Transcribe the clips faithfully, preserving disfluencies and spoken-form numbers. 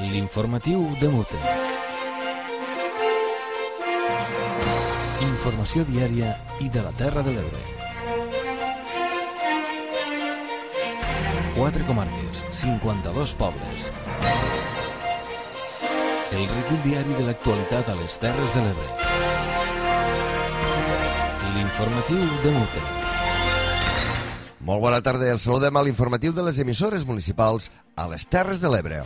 L'informatiu de Mute. Informació diària i de la Terra de l'Ebre. Quatre comarques, cinquanta-dos pobles. El recull diari de l'actualitat a les Terres de l'Ebre. L'informatiu de Mute. Molt bona tarda, el saludem a l'informatiu de les emissores municipals a les Terres de l'Ebre.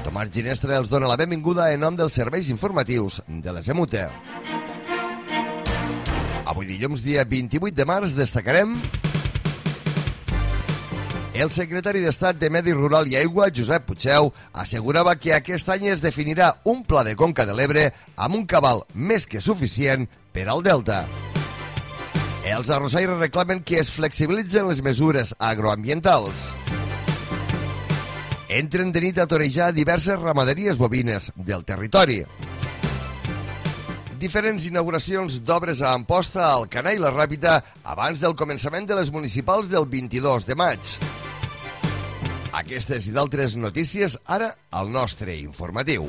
Tomàs Ginestra els dona la benvinguda en nom dels serveis informatius de les E M U T E. Avui dilluns, dia vint-i-vuit de març, destacarem el secretari d'Estat de Medi Rural i Aigua, Josep Puigdeu, assegurava que aquest any es definirà un pla de conca de l'Ebre amb un cabal més que suficient per al delta. Els arrossaires reclamen que es flexibilitzen les mesures agroambientals. Entren de nit a torejar diverses ramaderies bovines del territori. Diferents inauguracions d'obres a Amposta, Alcanar i la Ràpita abans del començament de les municipals del vint-i-dos de maig. Aquestes i d'altres notícies ara al nostre informatiu.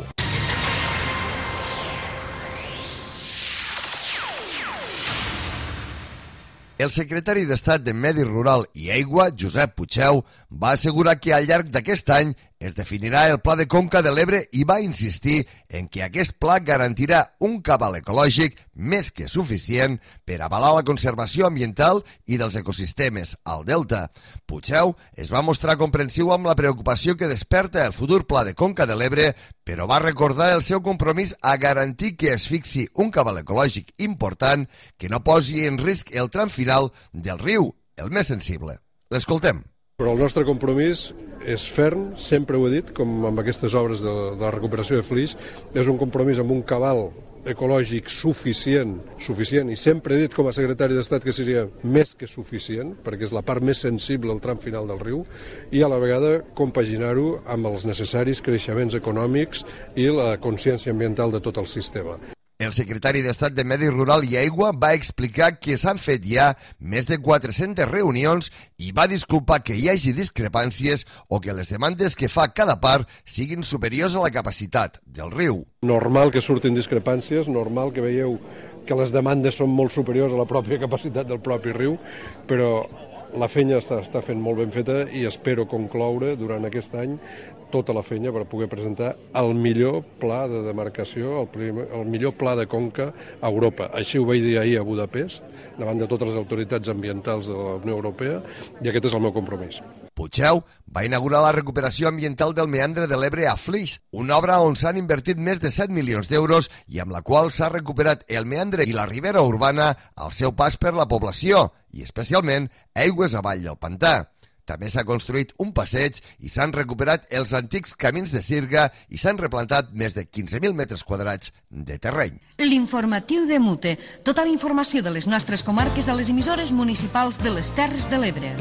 El secretari d'Estat de Medi Rural i Aigua, Josep Puigdeu, va assegurar que al llarg d'aquest any es definirà el Pla de Conca de l'Ebre i va insistir en que aquest pla garantirà un cabal ecològic més que suficient per avalar la conservació ambiental i dels ecosistemes al delta. Puigdeu es va mostrar comprensiu amb la preocupació que desperta el futur Pla de Conca de l'Ebre, però va recordar el seu compromís a garantir que es fixi un cabal ecològic important que no posi en risc el tram final del riu, el més sensible. L'escoltem. Però el nostre compromís és ferm, sempre ho he dit, com amb aquestes obres de, de la recuperació de Flix, és un compromís amb un cabal ecològic suficient, suficient, i sempre he dit com a secretari d'Estat que seria més que suficient, perquè és la part més sensible al tram final del riu, i a la vegada compaginar-ho amb els necessaris creixements econòmics i la consciència ambiental de tot el sistema. El secretari d'Estat de Medi Rural i Aigua va explicar que s'han fet ja més de quatre-centes reunions i va disculpar que hi hagi discrepàncies o que les demandes que fa cada part siguin superiors a la capacitat del riu. Normal que surtin discrepàncies, normal que veieu que les demandes són molt superiors a la pròpia capacitat del propi riu, però la feina està, està fent molt ben feta i espero concloure durant aquest any tota la feina per poder presentar el millor pla de demarcació, el, primer, el millor pla de conca a Europa. Així ho vaig dir ahir a Budapest, davant de totes les autoritats ambientals de la Unió Europea, i aquest és el meu compromís. Puigdeu va inaugurar la recuperació ambiental del meandre de l'Ebre a Flix, una obra on s'han invertit més de set milions d'euros i amb la qual s'ha recuperat el meandre i la ribera urbana al seu pas per la població, i especialment aigües avall del pantà. També s'ha construït un passeig i s'han recuperat els antics camins de sirga i s'han replantat més de quinze mil metres quadrats de terreny. L'informatiu de Mute. Tota la informació de les nostres comarques a les emissores municipals de les Terres de l'Ebre.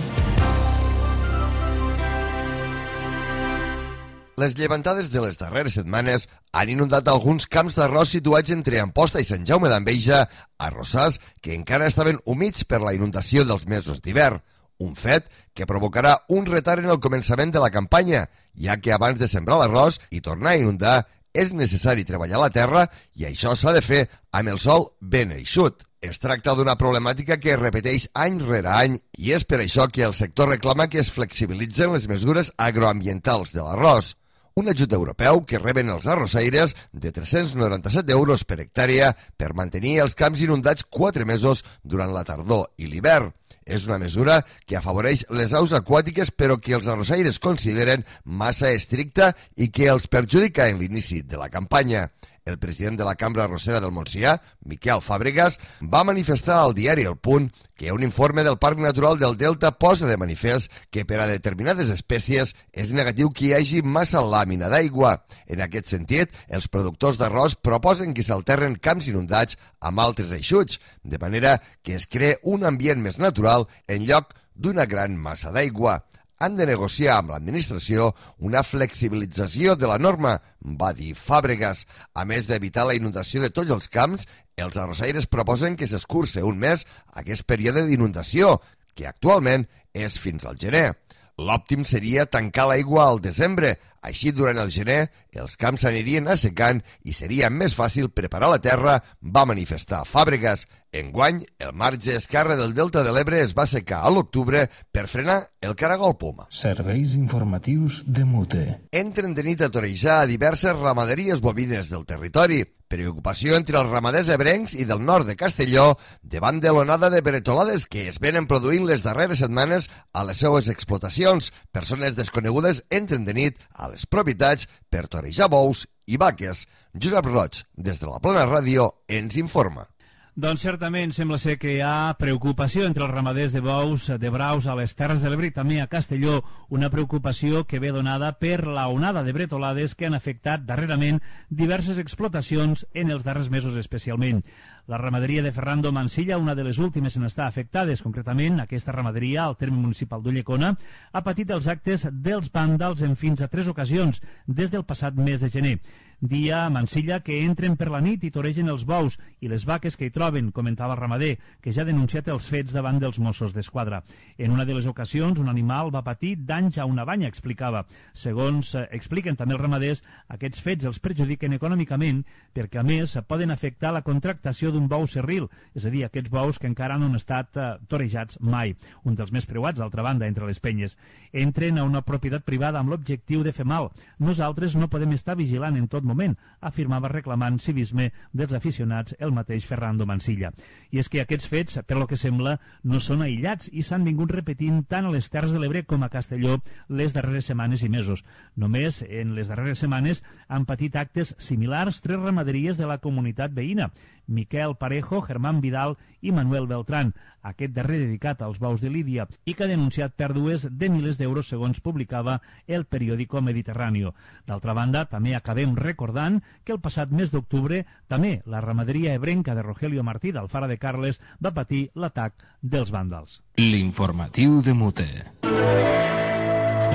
Les llevantades de les darreres setmanes han inundat alguns camps d'arròs situats entre Amposta i Sant Jaume d'Enveja, arrossars que encara estaven humits per la inundació dels mesos d'hivern. Un fet que provocarà un retard en el començament de la campanya, ja que abans de sembrar l'arròs i tornar a inundar és necessari treballar la terra i això s'ha de fer amb el sol ben eixut. Es tracta d'una problemàtica que es repeteix any rere any i és per això que el sector reclama que es flexibilitzen les mesures agroambientals de l'arròs. Un ajut europeu que reben els arrossaires de tres-cents noranta-set euros per hectàrea per mantenir els camps inundats quatre mesos durant la tardor i l'hivern. És una mesura que afavoreix les aus aquàtiques però que els arrossaires consideren massa estricta i que els perjudica en l'inici de la campanya. El president de la Cambra Arrossera del Montsià, Miquel Fàbregas, va manifestar al diari El Punt que un informe del Parc Natural del Delta posa de manifest que per a determinades espècies és negatiu que hi hagi massa làmina d'aigua. En aquest sentit, els productors d'arròs proposen que s'alterren camps inundats amb altres eixuts, de manera que es cree un ambient més natural en lloc d'una gran massa d'aigua. Han de negociar amb l'administració una flexibilització de la norma, va dir Fàbregas. A més d'evitar la inundació de tots els camps, els arrossaires proposen que s'escurce un mes aquest període d'inundació, que actualment és fins al gener. l'òptim seria tancar l'aigua al desembre. Així, durant el gener, els camps s'anirien assecant i seria més fàcil preparar la terra, va manifestar Fàbregas. Enguany, el marge esquerre del Delta de l'Ebre es va assecar a l'octubre per frenar el caragol poma. Serveis informatius de Mute. Entren de nit a torejar a diverses ramaderies bovines del territori. Preocupació entre els ramaders ebrencs i del nord de Castelló davant de l'onada de bretolades que es venen produint les darreres setmanes a les seues explotacions. Persones desconegudes entren de nit a les propietats per torejar bous i vaques. Josep Roig, des de la Plana Ràdio, ens informa. Doncs certament sembla ser que hi ha preocupació entre els ramaders de bous, de braus a les Terres de l'Ebre i també a Castelló, una preocupació que ve donada per la onada de bretolades que han afectat darrerament diverses explotacions en els darrers mesos especialment. La ramaderia de Ferrando Mansilla, una de les últimes en estar afectades, concretament aquesta ramaderia al terme municipal d'Ulldecona, ha patit els actes dels vàndals en fins a tres ocasions des del passat mes de gener. Dia a Mansilla que entren per la nit i toregen els bous i les vaques que hi troben, comentava el ramader, que ja ha denunciat els fets davant dels Mossos d'Esquadra. En una de les ocasions, un animal va patir danys a una banya, explicava. Segons eh, expliquen també els ramaders, aquests fets els perjudiquen econòmicament perquè, a més, poden afectar la contractació d'un bou serril, és a dir, aquests bous que encara no han estat eh, torejats mai, un dels més preuats, d'altra banda, entre les penyes. Entren a una propietat privada amb l'objectiu de fer mal. Nosaltres no podem estar vigilant en tot moment, afirmava reclamant civisme dels aficionats el mateix Ferrando Mansilla. I és que aquests fets, per lo que sembla, no són aïllats i s'han vingut repetint tant a les Terres de l'Ebre com a Castelló les darreres setmanes i mesos. Només en les darreres setmanes han patit actes similars tres ramaderies de la comunitat veïna, Miquel Parejo, Germán Vidal i Manuel Beltrán, aquest darrer dedicat als bous de Lídia i que ha denunciat pèrdues de milers d'euros segons publicava el periòdico Mediterráneo. D'altra banda, també acabem recordant que el passat mes d'octubre també la ramaderia ebrenca de Rogelio Martí d'Alfara de Carles va patir l'atac dels vàndals. L'informatiu de Mute.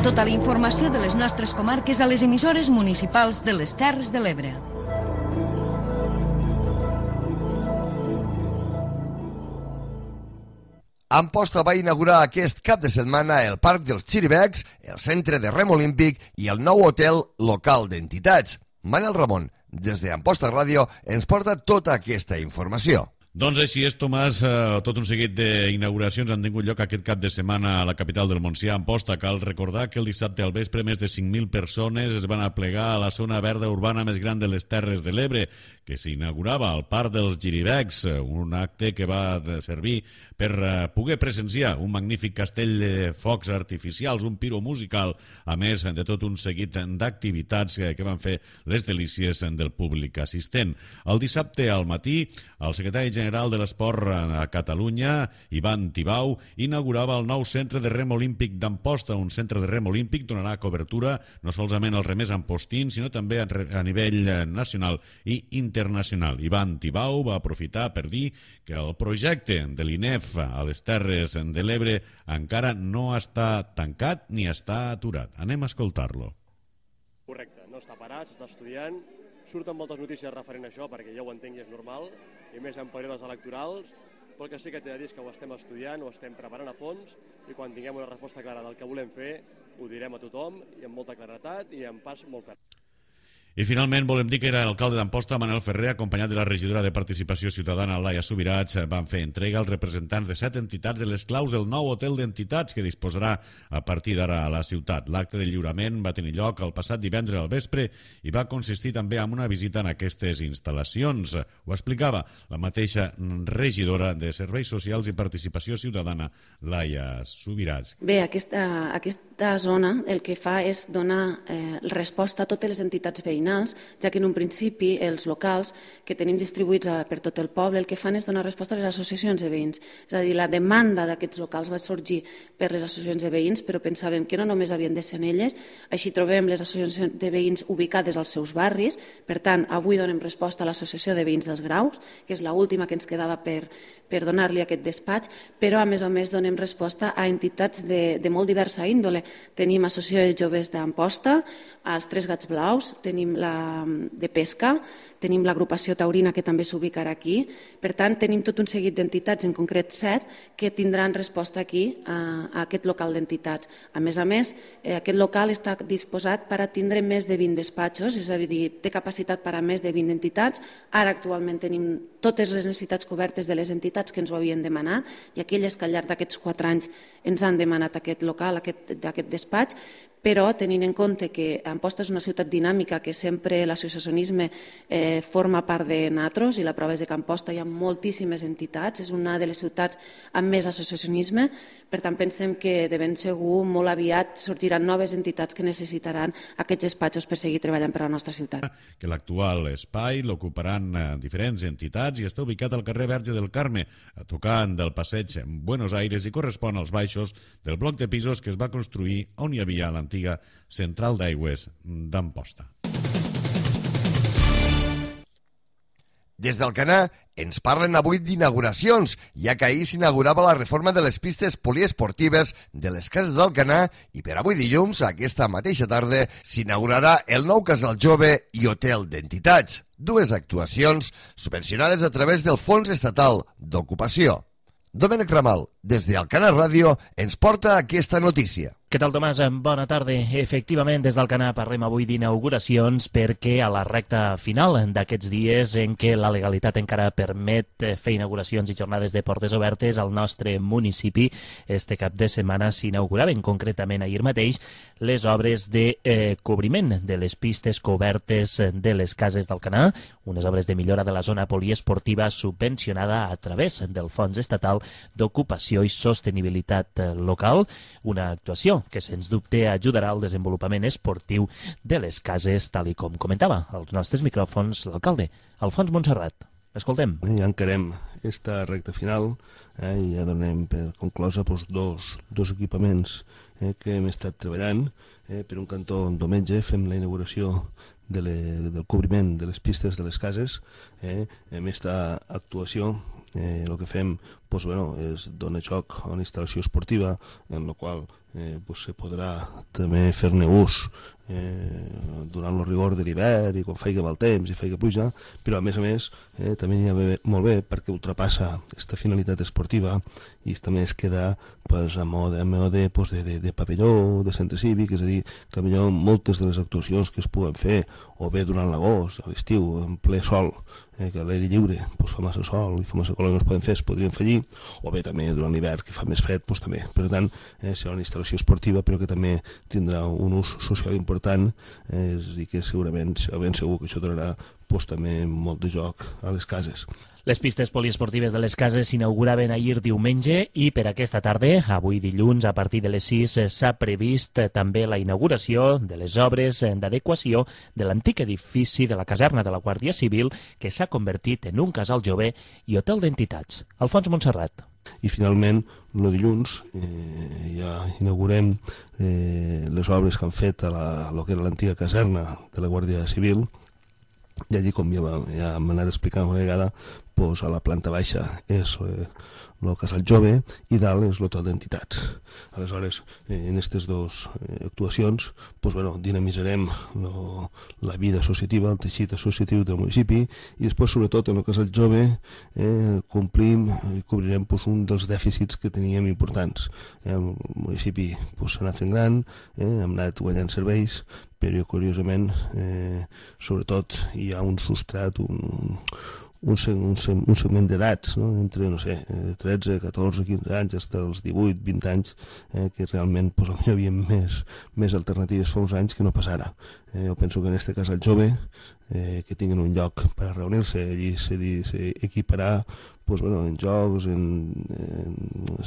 Tota la informació de les nostres comarques a les emissores municipals de les Terres de l'Ebre. Amposta va inaugurar aquest cap de setmana el Parc dels Xiribecs, el Centre de Rem Olímpic i el nou hotel local d'entitats. Manel Ramon, des d'Amposta Ràdio, ens porta tota aquesta informació. Doncs així és, Tomàs. Eh, tot un seguit d'inauguracions han tingut lloc aquest cap de setmana a la capital del Montsià, Amposta. Cal recordar que el dissabte al vespre més de cinc mil persones es van aplegar a la zona verda urbana més gran de les Terres de l'Ebre, que s'inaugurava al Parc dels Xiribecs, un acte que va servir per poder presenciar un magnífic castell de focs artificials, un piro musical, a més de tot un seguit d'activitats que van fer les delícies del públic assistent. El dissabte al matí, el secretari general de l'Esport a Catalunya, Ivan Tibau, inaugurava el nou centre de rem olímpic d'Amposta. Un centre de rem olímpic donarà cobertura no solament als remers ampostins, sinó també a nivell nacional i internacional. Ivan Tibau va aprofitar per dir que el projecte de l'I N E F a les Terres de l'Ebre encara no està tancat ni està aturat. Anem a escoltar-lo. Correcte, no està parat, s'està estudiant. Surten moltes notícies referent a això, perquè ja ho entenc i és normal, i més en períodes electorals, però el que sí que t'he de dir és que ho estem estudiant, ho estem preparant a fons, i quan tinguem una resposta clara del que volem fer, ho direm a tothom, i amb molta claretat i amb pas molt ferm. I finalment volem dir que era l'alcalde d'Amposta, Manel Ferrer, acompanyat de la regidora de Participació Ciutadana, Laia Subirats, van fer entrega als representants de set entitats de les claus del nou hotel d'entitats que disposarà a partir d'ara a la ciutat. L'acte de lliurament va tenir lloc el passat divendres al vespre i va consistir també en una visita en aquestes instal·lacions. Ho explicava la mateixa regidora de Serveis Socials i Participació Ciutadana, Laia Subirats. Bé, aquesta, aquesta zona el que fa és donar eh, resposta a totes les entitats veïnals, ja que en un principi els locals que tenim distribuïts per tot el poble el que fan és donar resposta a les associacions de veïns. És a dir, la demanda d'aquests locals va sorgir per les associacions de veïns, però pensàvem que no només havien de ser en elles, així trobem les associacions de veïns ubicades als seus barris. Per tant, avui donem resposta a l'Associació de Veïns dels Graus, que és l'última que ens quedava per, per donar-li aquest despatx, però a més a més donem resposta a entitats de, de molt diversa índole. Tenim Associació de Joves d'Amposta, els Tres Gats Blaus, tenim la de pesca, tenim l'agrupació taurina que també s'ubicarà aquí. Per tant, tenim tot un seguit d'entitats, en concret set, que tindran resposta aquí a, a aquest local d'entitats. A més a més, eh, aquest local està disposat per a tindre més de vint despatxos, és a dir, té capacitat per a més de vint entitats. Ara actualment tenim totes les necessitats cobertes de les entitats que ens ho havien demanat i aquelles que al llarg d'aquests quatre anys ens han demanat aquest local, aquest, aquest despatx, però tenint en compte que Amposta és una ciutat dinàmica, que sempre l'associacionisme eh, forma part de nosaltres i la prova és que a Amposta hi ha moltíssimes entitats, és una de les ciutats amb més associacionisme, per tant pensem que de ben segur molt aviat sorgiran noves entitats que necessitaran aquests despatxos per seguir treballant per a la nostra ciutat. Que l'actual espai l'ocuparan diferents entitats i està ubicat al carrer Verge del Carme, a tocant del passeig Buenos Aires i correspon als baixos del bloc de pisos que es va construir on hi havia l'antiga central d'aigües d'Amposta. Des d'Alcanar ens parlen avui d'inauguracions, ja que ahir s'inaugurava la reforma de les pistes poliesportives de les cases d'Alcanar i per avui dilluns, aquesta mateixa tarda, s'inaugurarà el nou Casal Jove i Hotel d'Entitats, dues actuacions subvencionades a través del Fons Estatal d'Ocupació. Domènec Ramal, des d'Alcanar Ràdio, ens porta aquesta notícia. Què tal, Tomàs? Bona tarda. Efectivament, des d'Alcanar parlem avui d'inauguracions perquè a la recta final d'aquests dies en què la legalitat encara permet fer inauguracions i jornades de portes obertes al nostre municipi, este cap de setmana s'inauguraven concretament ahir mateix les obres de eh, cobriment de les pistes cobertes de les cases d'Alcanar, unes obres de millora de la zona poliesportiva subvencionada a través del Fons Estatal d'Ocupació i Sostenibilitat Local, una actuació que sens dubte ajudarà al desenvolupament esportiu de les cases, tal i com comentava als nostres micròfons l'alcalde, Alfons Montserrat. Escoltem. Ja encarem esta recta final eh, i ja donem per conclosa doncs, dos, dos equipaments eh, que hem estat treballant. Eh, per un cantó, diumenge, fem la inauguració de le, del cobriment de les pistes de les cases. Eh, amb aquesta actuació eh, el que fem doncs, bueno, és donar joc a una instal·lació esportiva en la qual eh, doncs, se podrà també fer-ne ús eh, durant el rigor de l'hivern i quan faci mal temps i faci pluja, però a més a més eh, també hi ha bé, molt bé perquè ultrapassa aquesta finalitat esportiva i també es queda pues, a mode, a mode pues, de, de, de pavelló, de centre cívic, és a dir, que millor moltes de les actuacions que es puguen fer o bé durant l'agost, a l'estiu, en ple sol, eh, que a l'aire lliure pues, fa massa sol i fa massa calor i no es poden fer, es podrien fer allí, o bé també durant l'hivern que fa més fred, doncs també. Per tant, eh, serà una instal·lació esportiva però que també tindrà un ús social important eh, i que segurament, ben segur que això donarà doncs, també molt de joc a les cases. Les pistes poliesportives de les cases s'inauguraven ahir diumenge i per aquesta tarda, avui dilluns, a partir de les sis, s'ha previst també la inauguració de les obres d'adequació de l'antic edifici de la caserna de la Guàrdia Civil que s'ha convertit en un casal jove i hotel d'entitats. Alfons Montserrat. I finalment, el dilluns, eh, ja inaugurem eh, les obres que han fet a la, a lo que era l'antiga caserna de la Guàrdia Civil. I allí, com ja, ja hem anat explicant una vegada, doncs a la planta baixa és eh, el casal jove i dalt és l'hotel d'entitats. Aleshores, eh, en aquestes dues eh, actuacions, doncs, bueno, dinamitzarem lo, la vida associativa, el teixit associatiu del municipi i després, sobretot, en el casal jove eh, complim i cobrirem doncs, un dels dèficits que teníem importants. Eh, el municipi doncs, s'ha anat fent gran, eh, hem anat guanyant serveis, però curiosament, eh, sobretot, hi ha un substrat, un, un, un, un segment d'edats, no? Entre, no sé, tretze, catorze, quinze anys, fins als divuit, vint anys, eh, que realment pues, hi havia més, més alternatives fa uns anys que no pas ara. Eh, jo penso que en aquest cas el jove, eh, que tinguin un lloc per a reunir-se, allí s'equiparà pues, bueno, en jocs, en, en,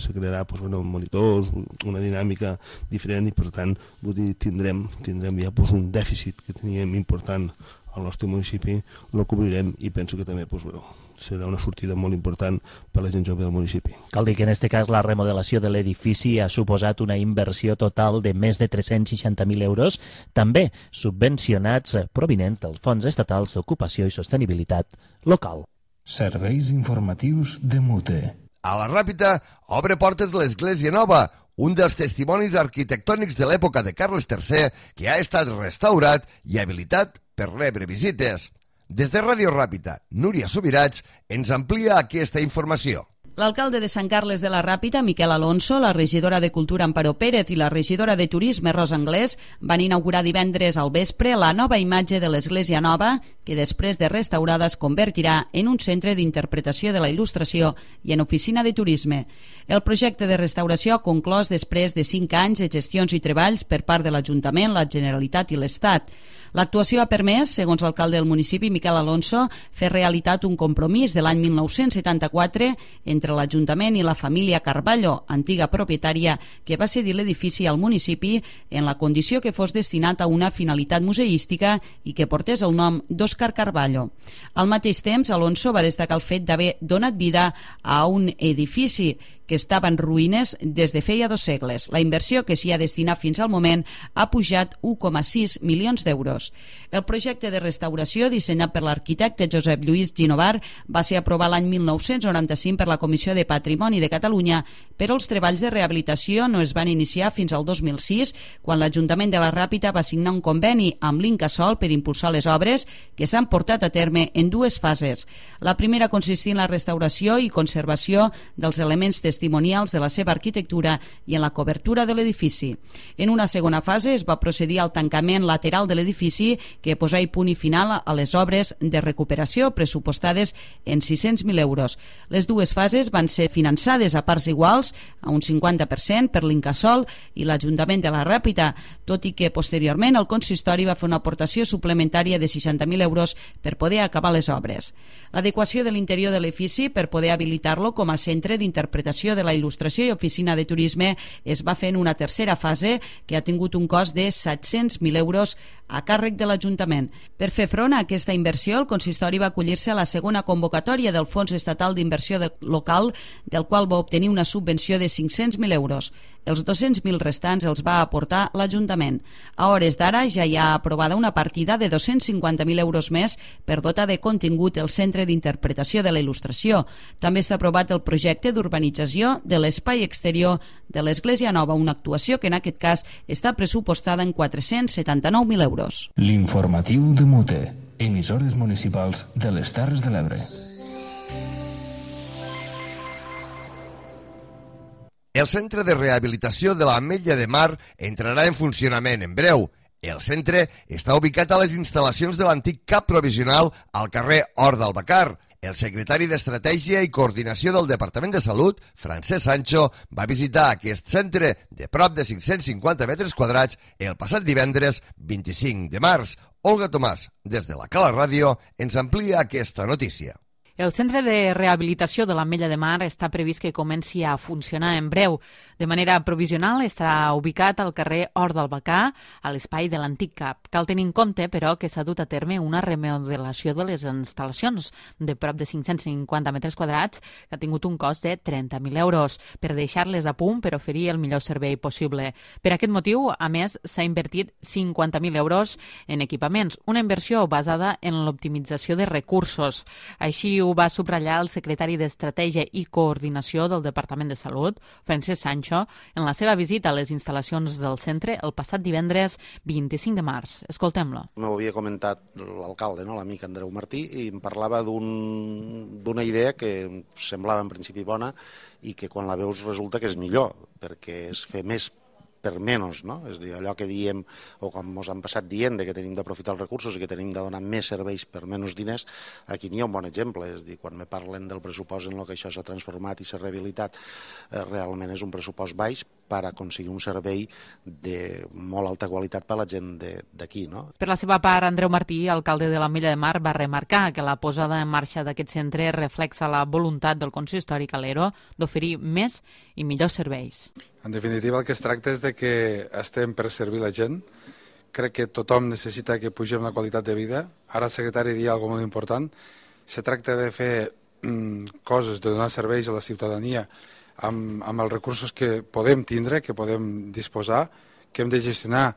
se crearà pues, bueno, monitors, una dinàmica diferent i per tant vull dir, tindrem, tindrem ja pues, un dèficit que teníem important al nostre municipi, lo cobrirem i penso que també pues, bueno, serà una sortida molt important per a la gent jove del municipi. Cal dir que en aquest cas la remodelació de l'edifici ha suposat una inversió total de més de tres-cents seixanta mil euros, també subvencionats provinents dels Fons Estatals d'Ocupació i Sostenibilitat Local. Serveis informatius de Mute. A la Ràpita obre portes l'Església Nova, un dels testimonis arquitectònics de l'època de Carles tercer que ha estat restaurat i habilitat per rebre visites. Des de Ràdio Ràpita, Núria Subirats ens amplia aquesta informació. L'alcalde de Sant Carles de la Ràpita, Miquel Alonso, la regidora de Cultura, Amparo Pérez, i la regidora de Turisme, Rosa Anglès, van inaugurar divendres al vespre la nova imatge de l'Església Nova, que després de restaurada es convertirà en un centre d'interpretació de la il·lustració i en oficina de turisme. El projecte de restauració ha conclòs després de cinc anys de gestions i treballs per part de l'Ajuntament, la Generalitat i l'Estat. L'actuació ha permès, segons l'alcalde del municipi, Miquel Alonso, fer realitat un compromís de l'any mil nou-cents setanta-quatre entre l'Ajuntament i la família Carballo, antiga propietària, que va cedir l'edifici al municipi en la condició que fos destinat a una finalitat museística i que portés el nom d'Òscar Carballo. Al mateix temps, Alonso va destacar el fet d'haver donat vida a un edifici que estava en ruïnes des de feia dos segles. La inversió que s'hi ha destinat fins al moment ha pujat un coma sis milions d'euros. El projecte de restauració, dissenyat per l'arquitecte Josep Lluís Ginovar, va ser aprovat l'any mil nou-cents noranta-cinc per la Comissió de Patrimoni de Catalunya, però els treballs de rehabilitació no es van iniciar fins al dos mil sis, quan l'Ajuntament de la Ràpita va signar un conveni amb l'Incasòl per impulsar les obres, que s'han portat a terme en dues fases. La primera consistia en la restauració i conservació dels elements testimonials de la seva arquitectura i en la cobertura de l'edifici. En una segona fase es va procedir al tancament lateral de l'edifici, que posà punt i final a les obres de recuperació pressupostades en sis-cents mil euros. Les dues fases van ser finançades a parts iguals, a un cinquanta per cent per l'Incasòl i l'Ajuntament de la Ràpita, tot i que posteriorment el consistori va fer una aportació suplementària de seixanta mil euros per poder acabar les obres. L'adequació de l'interior de l'edifici per poder habilitar-lo com a centre d'interpretació de la il·lustració i oficina de turisme es va fer en una tercera fase que ha tingut un cost de set-cents mil euros a càrrec de l'Ajuntament. Per fer front a aquesta inversió, el consistori va acollir-se a la segona convocatòria del Fons Estatal d'Inversió Local, del qual va obtenir una subvenció de cinc-cents mil euros. Els dos-cents mil restants els va aportar l'Ajuntament. A hores d'ara ja hi ha aprovada una partida de dos-cents cinquanta mil euros més per dotar de contingut el Centre d'Interpretació de la Il·lustració. També està aprovat el projecte d'urbanització de l'espai exterior de l'Església Nova, una actuació que en aquest cas està pressupostada en quatre-cents setanta-nou mil euros. L'informatiu de Mute, emissores municipals de les Terres de l'Ebre. El centre de rehabilitació de l'Ametlla de Mar entrarà en funcionament en breu. El centre està ubicat a les instal·lacions de l'antic cap provisional al carrer Hort del Bacar. El secretari d'Estratègia i Coordinació del Departament de Salut, Francesc Sancho, va visitar aquest centre de prop de cinc-cents cinquanta metres quadrats el passat divendres vint-i-cinc de març. Olga Tomàs, des de la Cala Ràdio, ens amplia aquesta notícia. El centre de rehabilitació de l'Ametlla de Mar està previst que comenci a funcionar en breu. De manera provisional està ubicat al carrer Hort del Bacà, a l'espai de l'antic cap. Cal tenir en compte, però, que s'ha dut a terme una remodelació de les instal·lacions de prop de cinc-cents cinquanta metres quadrats que ha tingut un cost de trenta mil euros per deixar-les a punt per oferir el millor servei possible. Per aquest motiu, a més, s'ha invertit cinquanta mil euros en equipaments, una inversió basada en l'optimització de recursos. Així ho va subratllar el secretari d'Estratègia i Coordinació del Departament de Salut, Francesc Sancho, en la seva visita a les instal·lacions del centre el passat divendres vint-i-cinc de març. Escoltem-lo. M'ho havia comentat l'alcalde, no? L'amic Andreu Martí, i em parlava d'un, d'una idea que semblava en principi bona i que quan la veus resulta que és millor, perquè és fer més per menys, no? És a dir, allò que diem, o com ens han passat dient, de que tenim d'aprofitar els recursos i que tenim de donar més serveis per menys diners, aquí n'hi ha un bon exemple. És a dir, quan me parlen del pressupost en el que això s'ha transformat i s'ha rehabilitat, eh, realment és un pressupost baix per aconseguir un servei de molt alta qualitat per a la gent d'aquí, no? Per la seva part, Andreu Martí, alcalde de l'Ametlla de Mar, va remarcar que la posada en marxa d'aquest centre reflexa la voluntat del consistori calero d'oferir més i millors serveis. En definitiva, el que es tracta és de que estem per servir la gent. Crec que tothom necessita que pugem la qualitat de vida. Ara el secretari dia alguna cosa molt important. Se tracta de fer mm, coses, de donar serveis a la ciutadania amb, amb els recursos que podem tindre, que podem disposar, que hem de gestionar,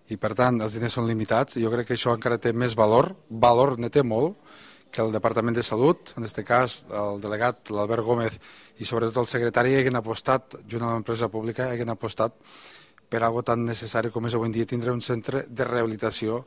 i per tant els diners són limitats. I jo crec que això encara té més valor, valor ne té molt, que el Departament de Salut, en aquest cas el delegat, l'Albert Gómez, i sobretot el secretari, hagin apostat, junt amb l'empresa pública, hagin apostat per algo tan necessari com és avui en dia tindre un centre de rehabilitació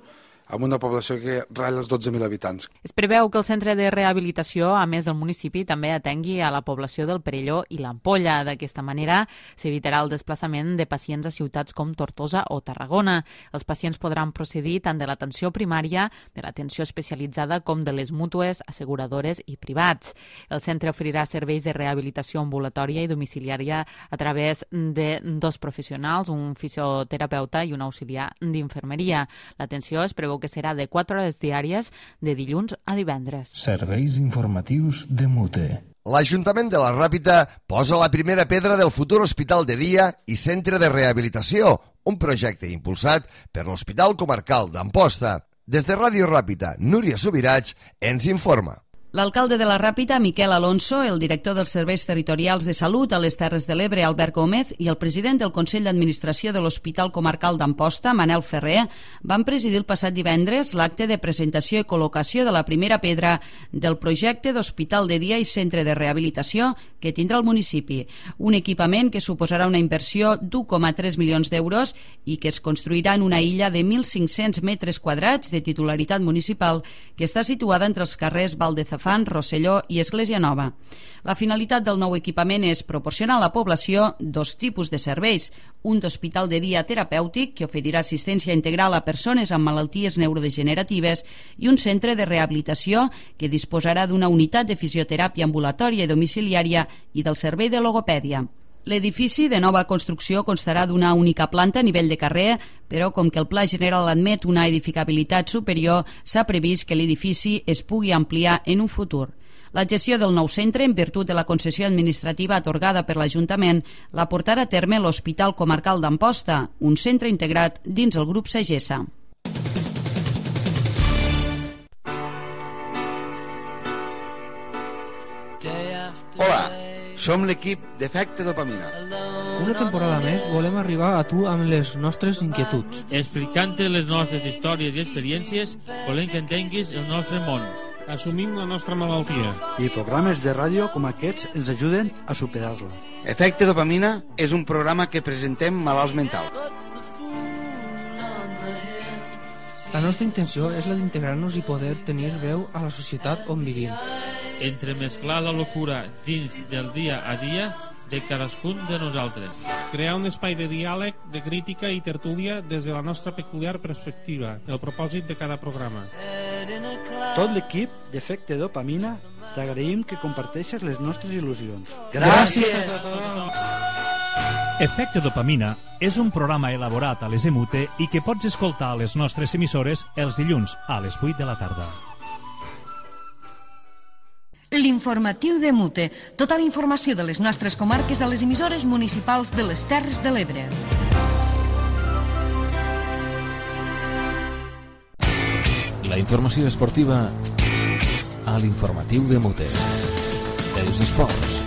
amb una població que ratlla els dotze mil habitants. Es preveu que el centre de rehabilitació, a més del municipi, també atengui a la població del Perelló i l'Ampolla. D'aquesta manera s'evitarà el desplaçament de pacients a ciutats com Tortosa o Tarragona. Els pacients podran procedir tant de l'atenció primària, de l'atenció especialitzada com de les mútues, asseguradores i privats. El centre oferirà serveis de rehabilitació ambulatòria i domiciliària a través de dos professionals, un fisioterapeuta i un auxiliar d'infermeria. L'atenció es preveu que serà de quatre hores diàries de dilluns a divendres. Serveis informatius de Mute. L'Ajuntament de la Ràpita posa la primera pedra del futur hospital de dia i centre de rehabilitació, un projecte impulsat per l'Hospital Comarcal d'Amposta. Des de Ràdio Ràpita, Núria Subirats ens informa. L'alcalde de la Ràpita, Miquel Alonso, el director dels Serveis Territorials de Salut a les Terres de l'Ebre, Albert Gómez, i el president del Consell d'Administració de l'Hospital Comarcal d'Amposta, Manel Ferrer, van presidir el passat divendres l'acte de presentació i col·locació de la primera pedra del projecte d'Hospital de Dia i Centre de Rehabilitació que tindrà el municipi. Un equipament que suposarà una inversió d'u coma tres milions d'euros i que es construirà en una illa de mil cinc-cents metres quadrats de titularitat municipal que està situada entre els carrers Valdezafán, Rosselló i Església Nova. La finalitat del nou equipament és proporcionar a la població dos tipus de serveis, un d'hospital de dia terapèutic que oferirà assistència integral a persones amb malalties neurodegeneratives i un centre de rehabilitació que disposarà d'una unitat de fisioteràpia ambulatòria i domiciliària i del servei de logopèdia. L'edifici de nova construcció constarà d'una única planta a nivell de carrer, però com que el Pla General admet una edificabilitat superior, s'ha previst que l'edifici es pugui ampliar en un futur. La gestió del nou centre, en virtut de la concessió administrativa atorgada per l'Ajuntament, la portarà a terme l'Hospital Comarcal d'Amposta, un centre integrat dins el grup Sagessa. Hola, som l'equip d'Efecte Dopamina. Una temporada més volem arribar a tu amb les nostres inquietuds. Explicant-te les nostres històries i experiències, volem que entenguis el nostre món. Assumim la nostra malaltia. I programes de ràdio com aquests ens ajuden a superar-la. Efecte Dopamina és un programa que presentem malalts mentals. La nostra intenció és la d'integrar-nos i poder tenir veu a la societat on vivim. Entremesclar la locura dins del dia a dia de cadascun de nosaltres. Crear un espai de diàleg, de crítica i tertúlia des de la nostra peculiar perspectiva, el propòsit de cada programa. Tot l'equip d'Efecte Dopamina t'agraïm que comparteixes les nostres il·lusions. Gràcies a tothom! Efecte Dopamina és un programa elaborat a les EMUTE i que pots escoltar a les nostres emissores els dilluns a les vuit de la tarda. L'informatiu de Mute. Tota la informació de les nostres comarques a les emissores municipals de les Terres de l'Ebre. La informació esportiva a l'informatiu de Mute. Els esports.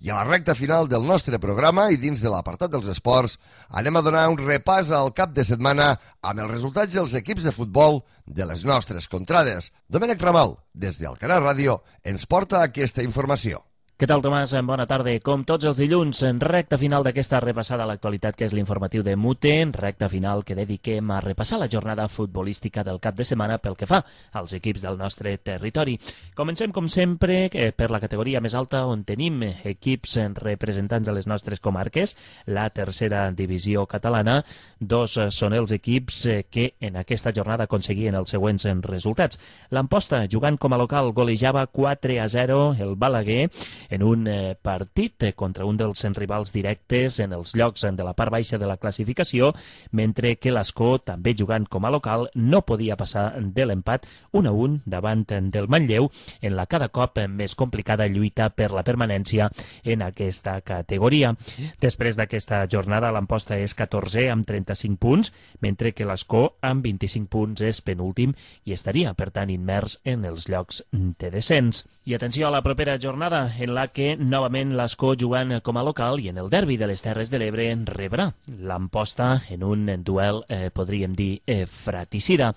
I a la recta final del nostre programa i dins de l'apartat dels esports anem a donar un repàs al cap de setmana amb els resultats dels equips de futbol de les nostres contrades. Domènec Ramal, des d'Alcanar Ràdio, ens porta aquesta informació. Què tal, Tomàs? Bona tarda. Com tots els dilluns, en recta final d'aquesta repassada a l'actualitat que és l'informatiu de Mute, en recta final que dediquem a repassar la jornada futbolística del cap de setmana pel que fa als equips del nostre territori. Comencem, com sempre, per la categoria més alta, on tenim equips representants de les nostres comarques, la tercera divisió catalana. Dos són els equips que en aquesta jornada aconseguien els següents resultats. L'Amposta, jugant com a local, golejava quatre a zero el Balaguer, en un eh, partit eh, contra un dels rivals directes en els llocs de la part baixa de la classificació, mentre que l'Escó, també jugant com a local, no podia passar de l'empat un a un davant del Manlleu en la cada cop més complicada lluita per la permanència en aquesta categoria. Després d'aquesta jornada, l'Amposta és catorzè amb trenta-cinc punts, mentre que l'Escó amb vint-i-cinc punts és penúltim i estaria, per tant, immers en els llocs de descens. I atenció a la propera jornada, en la la que novament l'Escó jugant com a local i en el derbi de les Terres de l'Ebre rebrà l'Amposta en un duel, eh, podríem dir, eh, fratricida.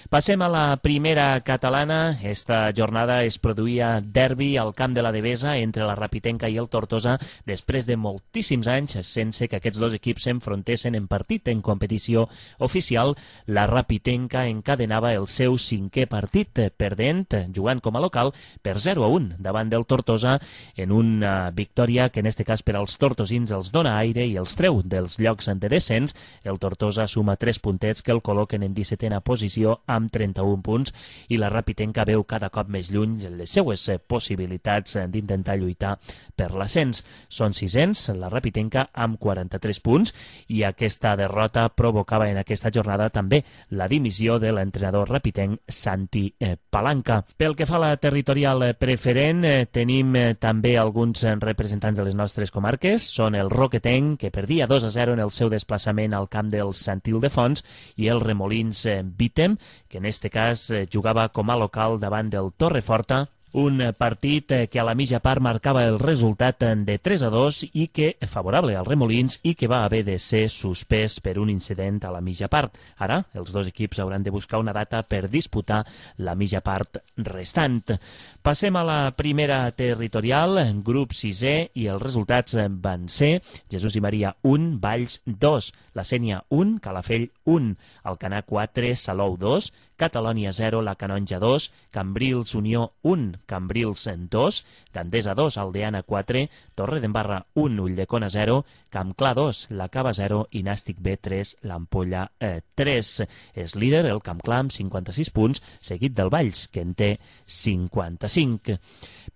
Passem a la primera catalana. Esta jornada es produïa derbi al camp de la Devesa entre la Rapitenca i el Tortosa després de moltíssims anys sense que aquests dos equips s'enfrontessin en partit en competició oficial. La Rapitenca encadenava el seu cinquè partit perdent, jugant com a local per zero a un davant del Tortosa en una victòria que en este cas per als tortosins els dona aire i els treu dels llocs de descens. El Tortosa suma tres puntets que el col·loquen en dissetena posició amb trenta-un punts i la Rapitenca veu cada cop més lluny les seues possibilitats d'intentar lluitar per l'ascens. Són sisens, la Rapitenca amb quaranta-tres punts, i aquesta derrota provocava en aquesta jornada també la dimissió de l'entrenador rapitenc Santi Palanca. Pel que fa a la territorial preferent, tenim també alguns representants de les nostres comarques. Són el Roquetenc, que perdia dos a zero en el seu desplaçament al camp del Sant Ildefons, i el Remolins Vítem, que en este cas jugava com a local davant del Torreforta, un partit que a la mitja part marcava el resultat de tres a dos i que favorable als Remolins i que va haver de ser suspès per un incident a la mitja part. Ara els dos equips hauran de buscar una data per disputar la mitja part restant. Passem a la primera territorial, grup sisè, i els resultats van ser Jesús i Maria un, Valls dos, la Sénia un, Calafell un, Alcanar quatre, Salou dos, Catalònia zero, la Canonja dos, Cambrils Unió un, Cambrils dos, Gandesa dos, Aldeana quatre, Torredembarra un, Ulldecona zero, Campclar dos, la Cava zero i Nàstic B tres, l'Ampolla eh, tres. És líder el Campclar amb cinquanta-sis punts, seguit del Valls, que en té cinquanta-cinc.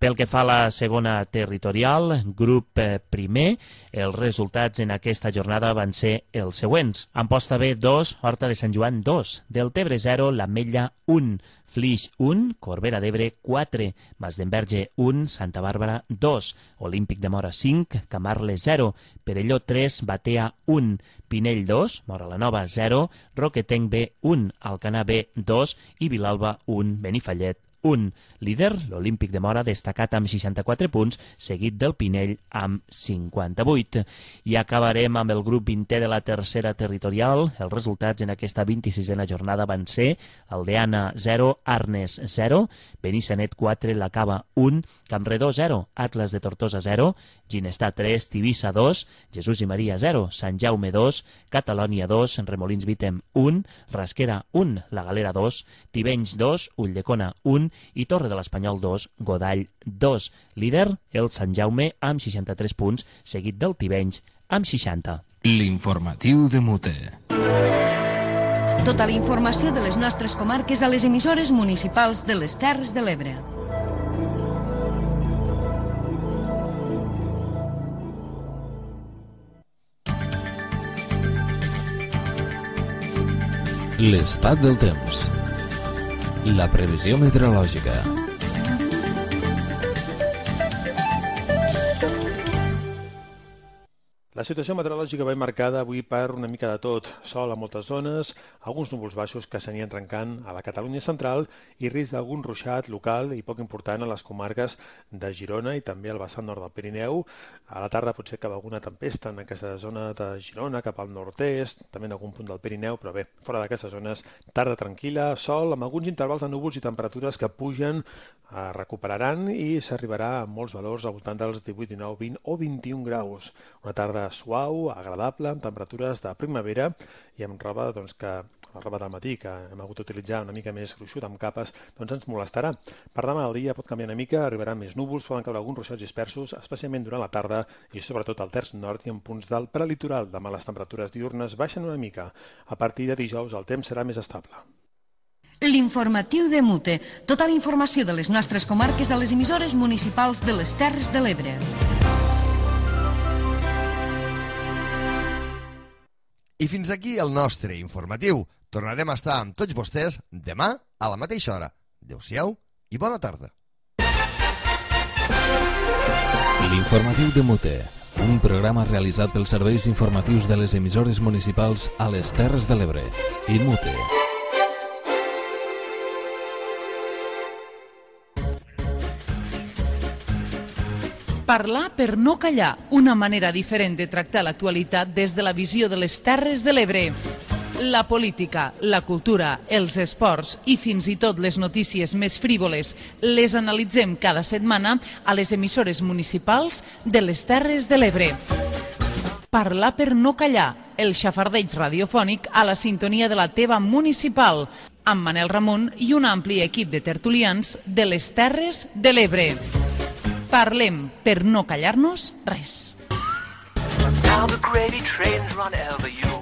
Pel que fa a la segona territorial, grup eh, primer, els resultats en aquesta jornada van ser els següents. Amposta B dos, Horta de Sant Joan dos, Deltebre zero, l'Ametlla un, Flix un, Corbera d'Ebre quatre, Masdenverge un, Santa Bàrbara dos, Olímpic de Mora cinc, Camarles zero, Perelló tres, Batea un, Pinell dos, Mora la Nova zero, Roquetenc B un, Alcanar B dos i Vilalba un, Benifallet un. Líder, l'Olímpic de Mora, destacat amb seixanta-quatre punts, seguit del Pinell amb cinquanta-vuit. I acabarem amb el grup vintè de la tercera territorial. Els resultats en aquesta vint-i-sisena jornada van ser Aldeana zero, Arnes zero, Benissanet quatre, La Cava un, Campredó zero, Atlas de Tortosa zero, Ginestar tres, Tivissa dos, Jesús i Maria zero, Sant Jaume dos, Catalònia dos, Remolins Vítem un, Rasquera un, La Galera dos, Tivenys dos, Ulldecona un i Torre de l'Espanyol dos, Godall dos. Líder, el Sant Jaume amb seixanta-tres punts, seguit del Tivenys amb seixanta. L'informatiu de Mute. Tota la informació de les nostres comarques a les emissores municipals de les Terres de l'Ebre. L'estat del temps. La previsió meteorològica. La situació meteorològica va marcada avui per una mica de tot. Sol a moltes zones, alguns núvols baixos que s'anien trencant a la Catalunya central i risc d'algun ruixat local i poc important a les comarques de Girona i també al vessant nord del Pirineu. A la tarda potser cap alguna tempesta en aquesta zona de Girona, cap al nord-est, també en algun punt del Pirineu, però bé, fora d'aquestes zones, tarda tranquil·la, sol, amb alguns intervals de núvols i temperatures que pugen, eh, recuperaran i s'arribarà a molts valors al voltant dels divuit, dinou, vint o vint-i-un graus. Una tarda suau, agradable, amb temperatures de primavera i amb roba doncs, que la roba del matí, que hem hagut d'utilitzar una mica més gruixuda, amb capes, doncs ens molestarà. Per demà el dia pot canviar una mica, arribaran més núvols, poden caure alguns ruixats dispersos, especialment durant la tarda i sobretot al terç nord i en punts del prelitoral. Demà les temperatures diürnes baixen una mica. A partir de dijous el temps serà més estable. L'informatiu de Mute. Tota la informació de les nostres comarques a les emissores municipals de les Terres de l'Ebre. I fins aquí el nostre informatiu. Tornarem a estar amb tots vostès demà a la mateixa hora. Adéu-siau i bona tarda. L'informatiu de Mute, un programa realitzat pels serveis informatius de les emissores municipals a les Terres de l'Ebre i Mute. Parlar per no callar, una manera diferent de tractar l'actualitat des de la visió de les Terres de l'Ebre. La política, la cultura, els esports i fins i tot les notícies més frívoles les analitzem cada setmana a les emissores municipals de les Terres de l'Ebre. Parlar per no callar, el xafardeig radiofònic a la sintonia de la teva municipal, amb Manel Ramon i un ampli equip de tertulians de les Terres de l'Ebre. Parlem per no callar-nos res. Now the gravy trains run over you.